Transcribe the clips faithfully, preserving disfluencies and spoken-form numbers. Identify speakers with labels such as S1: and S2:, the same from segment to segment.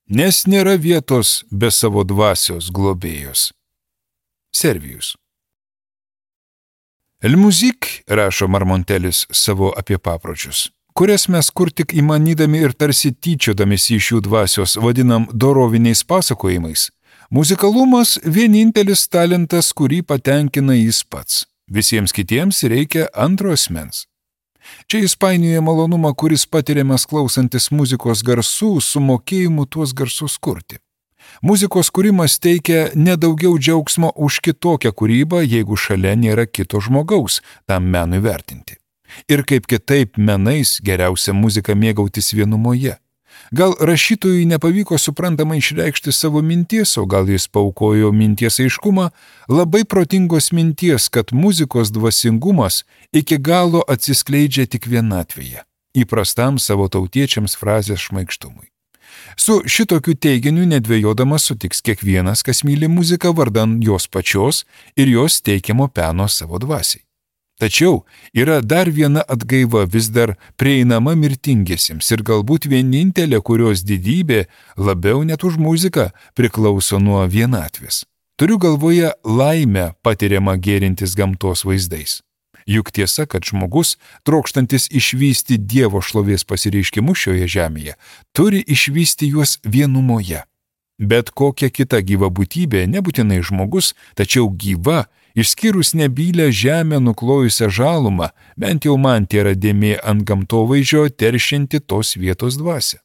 S1: nes nėra vietos be savo dvasios globėjos. Servijus. El Musique, rašo Marmontelis savo apie papročius, kurias mes kur tik įmanydami ir tarsi tyčiodamės iš jų dvasios vadinam doroviniais pasakojimais, muzikalumas vienintelis talentas, kurį patenkina jis pats. Visiems kitiems reikia antro asmens. Čia jis painioja malonumą, kuris patiriamas klausantis muzikos garsų, su mokėjimu tuos garsus kurti. Muzikos kūrimas teikia nedaugiau džiaugsmo už kitokią kūrybą, jeigu šalia nėra kito žmogaus tam menui vertinti. Ir kaip kitaip menais geriausia muzika mėgautis vienumoje. Gal rašytojui nepavyko suprantamai išreikšti savo minties, o gal jis paaukojo minties aiškumą, labai protingos minties, kad muzikos dvasingumas iki galo atsiskleidžia tik vienatvėje, įprastam savo tautiečiams frazės šmaikštumui. Su šitokiu teiginiu nedvejodamas sutiks kiekvienas, kas myli muziką vardan jos pačios ir jos teikiamo peno savo dvasiai. Tačiau yra dar viena atgaiva vis dar prieinama mirtingiesiems ir galbūt vienintelė, kurios didybė labiau net už muziką priklauso nuo vienatvės. Turiu galvoje laimę patiriamą gėrintis gamtos vaizdais. Juk tiesa, kad žmogus, trokštantis išvysti Dievo šlovės pasireiškimus šioje žemėje, turi išvysti juos vienumoje. Bet kokia kita gyva būtybė, nebūtinai žmogus, tačiau gyva, išskyrus nebylę žemę nuklojusią žalumą, bent jau man tėra dėmė ant gamtovaizdžio teršianti tos vietos dvasią.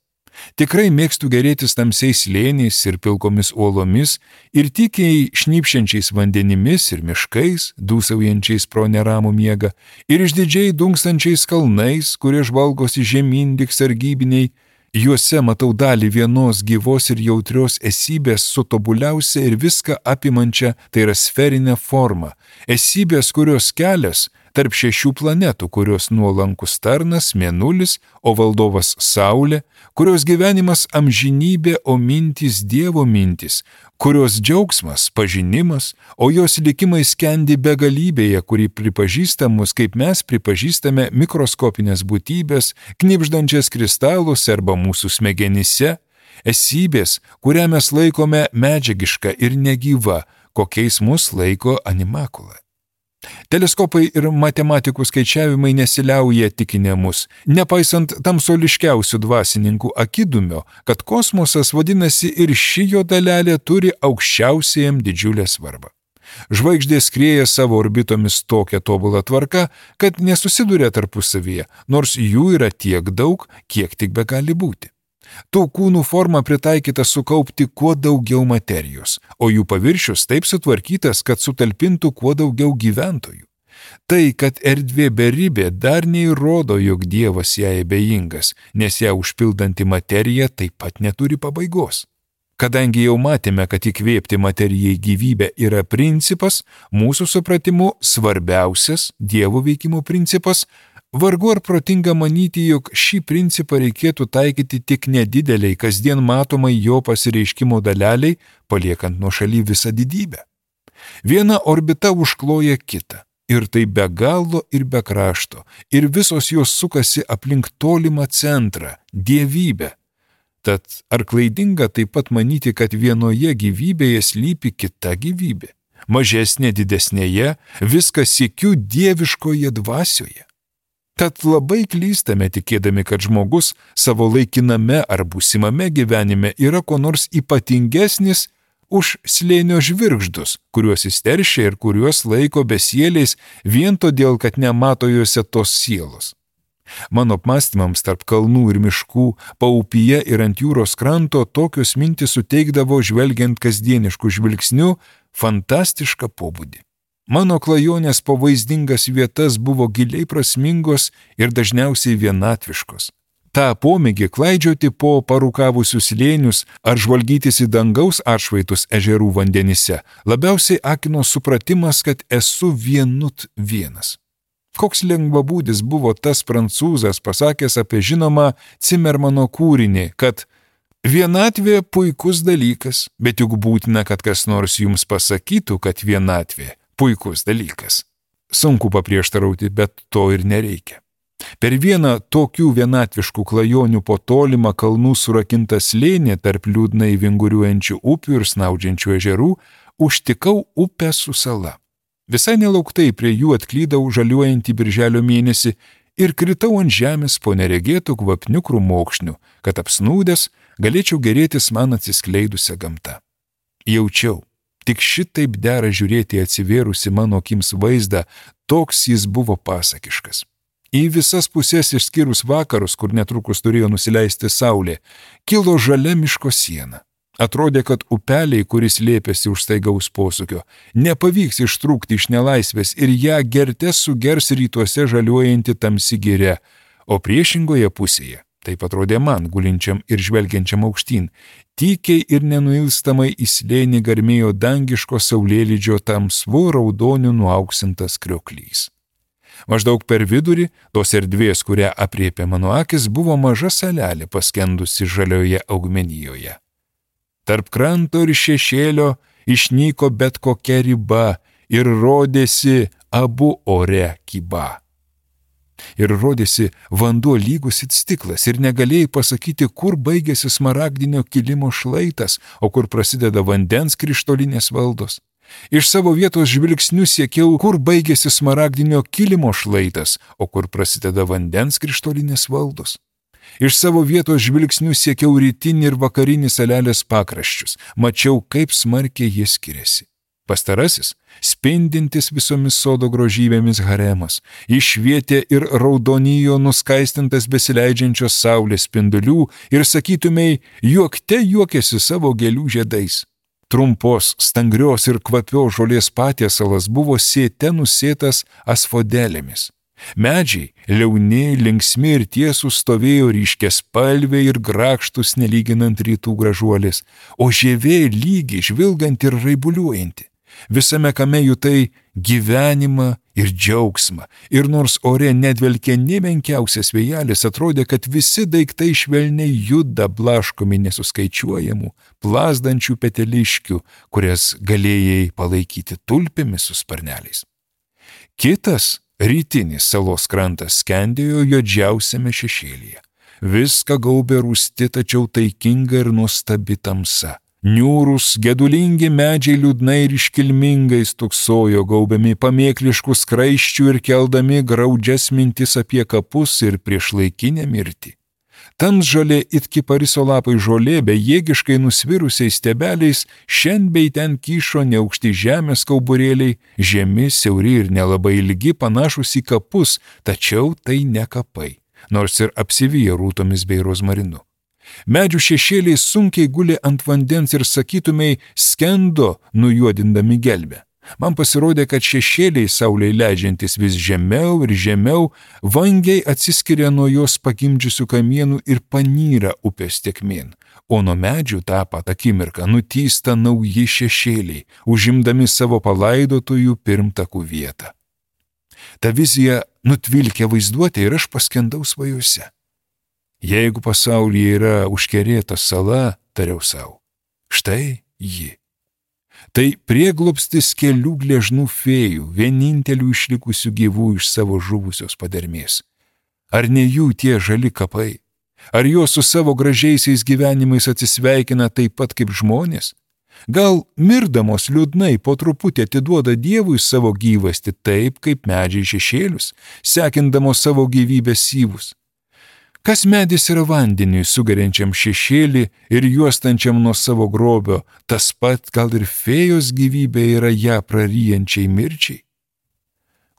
S1: Tikrai mėgstu gerėtis tamsiais slėniais ir pilkomis uolomis ir tykiai šnypšiančiais vandenimis ir miškais, dūsaujančiais pro neramų miegą, ir išdidžiai dunkstančiais kalnais, kurie žvalgosi žemyn lyg sargybiniai. Juose matau dalį vienos gyvos ir jautrios esybės su tobuliausia ir viską apimančia, tai yra sferinė forma, esybės, kurios kelias tarp šešių planetų, kurios nuolankus tarnas, mėnulis, o valdovas Saulė, kurios gyvenimas amžinybė, o mintys Dievo mintys, kurios džiaugsmas pažinimas, o jos likimai skendi begalybėje, kuri pripažįsta mus, kaip mes pripažįstame mikroskopinės būtybės, knibždančias kristalus arba mūsų smegenyse, esybės, kurią mes laikome medžiagiška ir negyva, kokiais mus laiko animakula. Teleskopai ir matematikų skaičiavimai nesiliauja tikinę mus, nepaisant tamsoliškiausių dvasininkų akidumio, kad kosmosas vadinasi ir ši jo dalelė turi aukščiausiajam didžiulę svarbą. Žvaigždės skrieja savo orbitomis tokia tobula tvarka, kad nesusiduria tarpusavyje, nors jų yra tiek daug, kiek tik begali būti. Tų kūnų forma pritaikyta sukaupti kuo daugiau materijos, o jų paviršius taip sutvarkytas, kad sutalpintų kuo daugiau gyventojų. Tai, kad erdvė beribė, dar neįrodo, jog Dievas jai abejingas, nes ją užpildanti materija taip pat neturi pabaigos. Kadangi jau matėme, kad įkvėpti materijai gyvybę yra principas, mūsų supratimu svarbiausias Dievo veikimo principas, vargu ar protinga manyti, jog šį principą reikėtų taikyti tik nedideliai, kasdien matomai jo pasireiškimo daleliai, paliekant nuošaly visą didybę. Viena orbita užkloja kitą, ir tai be galo ir be krašto, ir visos jos sukasi aplink tolimą centrą, dievybę. Tad ar klaidinga taip pat manyti, kad vienoje gyvybėje slypi kita gyvybė, mažesnė didesnėje, viskas sykiu dieviškoje dvasioje? Tad labai klystame tikėdami, kad žmogus savo laikiname ar būsimame gyvenime yra ko nors ypatingesnis už slėnio žvirgždus, kuriuos jis teršia ir kuriuos laiko besieliais vien todėl, kad nemato juose tos sielos. Mano apmąstymams tarp kalnų ir miškų, paupyje ir ant jūros kranto tokios mintys suteikdavo, žvelgiant kasdienišku žvilgsniu, fantastišką pobūdį. Mano klajonės po vaizdingas vietas buvo giliai prasmingos ir dažniausiai vienatviškos. Ta pomėgį klaidžioti po parūkavusius slėnius ar žvalgytis į dangaus atšvaitus ežerų vandenyse labiausiai akino supratimas, kad esu vienut vienas. Koks lengvabūdis buvo tas prancūzas pasakęs apie žinomą Cimermano kūrinį, kad vienatvė puikus dalykas, bet juk būtina, kad kas nors jums pasakytų, kad vienatvė puikus dalykas. Sunku paprieštarauti, bet to ir nereikia. Per vieną tokių vienatviškų klajonių po tolimą kalnų surakintą slėnį tarp liūdnai vinguriuojančių upių ir snaudžiančių ežerų užtikau upę su sala. Visai nelauktai prie jų atklydau žaliuojantį birželio mėnesį ir kritau ant žemės po neregėtų kvapnių krūmokšnių, kad apsnūdęs galėčiau gerėtis man atsiskleidusią gamtą. Jaučiau, tik šitaip dera žiūrėti atsivėrusi mano akims vaizdą, toks jis buvo pasakiškas. Į visas pusės išskyrus vakarus, kur netrukus turėjo nusileisti saulė, kilo žalia miško siena. Atrodė, kad upeliai, kuris lėpėsi už staigaus posūkio, nepavyks ištrūkti iš nelaisvės ir ją gerte sugers rytuose žaliuojanti tamsi giria, o priešingoje pusėje, taip atrodė man, gulinčiam ir žvelgiančiam aukštyn, tykiai ir nenuilstamai į slėnį garmėjo dangiško saulėlydžio tamsvu raudoniu nuauksintas krioklys. Maždaug per vidurį tos erdvės, kurią apriepė mano akis, buvo maža salelė paskendusi žalioje augmenijoje. Tarp kranto ir šešėlio išnyko bet kokia riba ir rodėsi abu ore kyba. Ir rodėsi vanduo lygus it stiklas ir negalėjai pasakyti, kur baigėsi smaragdinio kilimo šlaitas, o kur prasideda vandens krištolinės valdos. Iš savo vietos žvilgsnių siekiau, kur baigėsi smaragdinio kilimo šlaitas, o kur prasideda vandens krištolinės valdos. Iš savo vietos žvilgsnių siekiau rytinį ir vakarinį salelės pakraščius, mačiau, kaip smarkiai jie skiriasi. Pastarasis, spindintis visomis sodo grožybėmis haremas, išvietė ir raudonijo nuskaistintas besileidžiančios saulės spindulių ir, sakytumei, juokte juokėsi savo gėlių žiedais. Trumpos, stangrios ir kvapios žolės patiesalas buvo sėte nusėtas asfodelėmis. Medžiai, liauni, linksmi ir tiesūs stovėjo ryškiaspalviai ir grakštus nelyginant rytų gražuolės, o žievė lygi, žvilganti ir raibuliuojanti. Visame kame jutai gyvenimą ir džiaugsmą, ir nors ore nedvelkė nė menkiausias vėjelis, atrodė, kad visi daiktai švelniai juda blaškomi nesuskaičiuojamų, plazdančių peteliškių, kurias galėjai palaikyti tulpėmis su sparneliais. Kitas, rytinis salos krantas skendėjo juodžiausiame šešėlyje. Viską gaubė rūsti, tačiau taikinga ir nuostabi tamsa. Niūrūs, gedulingi medžiai liūdnai ir iškilmingai stuksojo, gaubiami pamėkliškų skraiščių ir keldami graudžias mintis apie kapus ir priešlaikinę mirtį. Tamsžalė it kipariso lapai žolė, bejėgiškai nusvirusiais stebeliais, šen bei ten kyšo neaukšti žemės kauburėliai, žemi, siauri ir nelabai ilgi, panašus į kapus, tačiau tai ne kapai, nors ir apsiviję rūtomis bei rozmarinu. Medžių šešėliai sunkiai gulė ant vandens ir, sakytumei, skendo, nujuodindami gelbę. Man pasirodė, kad šešėliai saulei leidžiantis vis žemiau ir žemiau, vangiai atsiskiria nuo jos pagimdžiusių kamienų ir panyra upės tekmėn, o nuo medžių tą pat akimirką nutysta nauji šešėliai, užimdami savo palaidotųjų pirmtakų vietą. Ta vizija nutvilkė vaizduotę ir aš paskendau svajose. Jeigu pasaulyje yra užkerėta sala, tariau savo, štai ji. Tai prieglobstis kelių gležnų fėjų, vienintelių išlikusių gyvų iš savo žuvusios padermės. Ar ne jų tie žali kapai? Ar jos su savo gražiaisiais gyvenimais atsisveikina taip pat kaip žmonės? Gal mirdamos liūdnai po truputį atiduoda Dievui savo gyvastį taip, kaip medžiai šešėlius, sekindamos savo gyvybės syvus? Kas medis yra vandeniui sugeriančiam šešėlį ir juostančiam nuo savo grobio, tas pat gal ir fėjos gyvybė yra ją praryjančiai mirčiai?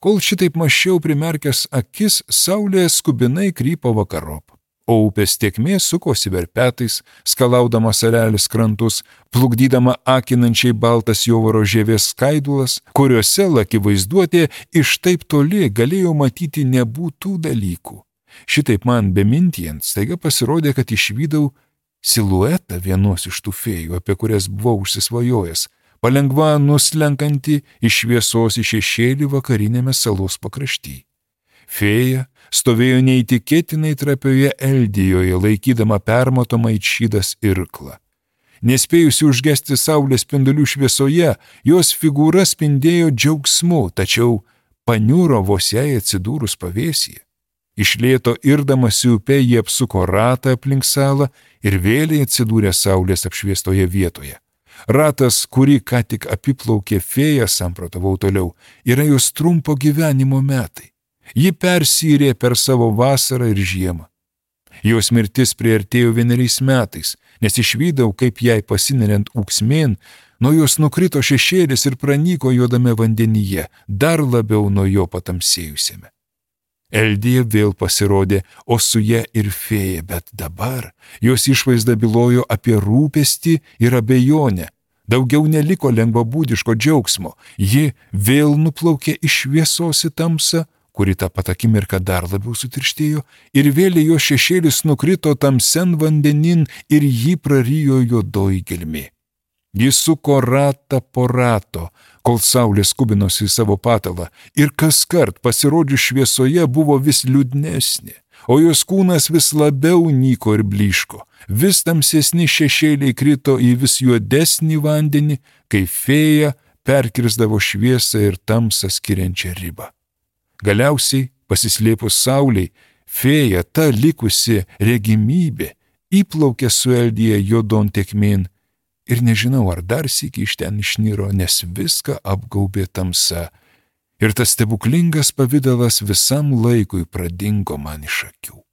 S1: Kol šitaip mąsčiau primerkęs akis, saulė skubinai krypo vakarop, o upės tėkmė sukosi verpetais, skalaudama salelės krantus, plukdydama akinančiai baltas jovaro žievės skaidulas, kuriuose laki vaizduotė iš taip toli galėjo matyti nebūtų dalykų. Šitaip man bemintijant, staiga pasirodė, kad išvydau siluetą vienos iš tų fėjų, apie kurias buvau užsisvajojęs, palengva nuslenkantį iš šviesos į šešėlį vakarinėme salos pakrašty. Fėja stovėjo neįtikėtinai trapioje eldijoje, laikydama permatomą it šydas irklą. Nespėjusi užgesti saulės spindulių šviesoje, jos figūra spindėjo džiaugsmu, tačiau paniuro vos jai atsidūrus pavėsyje. Iš lėto irdamasi upe jie apsuko ratą aplink salą ir vėliai atsidūrė saulės apšviestoje vietoje. Ratas, kurį ką tik apiplaukė fėja, samprotavau toliau, yra jos trumpo gyvenimo metai. Ji persyrė per savo vasarą ir žiemą. Jos mirtis priartėjo vieneriais metais, nes išvydau, kaip jai pasineriant ūksmėn, nuo jos nukrito šešėlis ir pranyko juodame vandenyje, dar labiau nuo jo patamsėjusiame. Eldija vėl pasirodė, o su ja ir fėja, bet dabar jos išvaizda bylojo apie rūpestį ir abejonę. Daugiau neliko lengvabūdiško džiaugsmo, ji vėl nuplaukė iš šviesos į tamsą, kuri tą pat akimirką dar labiau sutirštėjo, ir vėl jo šešėlis nukrito tamsen vandenin ir jį prarijo juodoji gelmė. Jis suko ratą po rato, kol saulė skubinosi į savo patalą, ir kaskart pasirodžius šviesoje buvo vis liūdnesnė, o jos kūnas vis labiau nyko ir blyško. Vis tamsesni šešėliai krito į vis juodesnį vandenį, kai fėja perkirsdavo šviesą ir tamsą skiriančią ribą. Galiausiai, pasislėpus saulei, fėja, ta likusi regimybė, įplaukė su Eldija juodon tekmėn ir nežinau, ar dar sykį iš ten išniro, nes viską apgaubė tamsa ir tas stebuklingas pavidalas visam laikui pradingo man iš akių.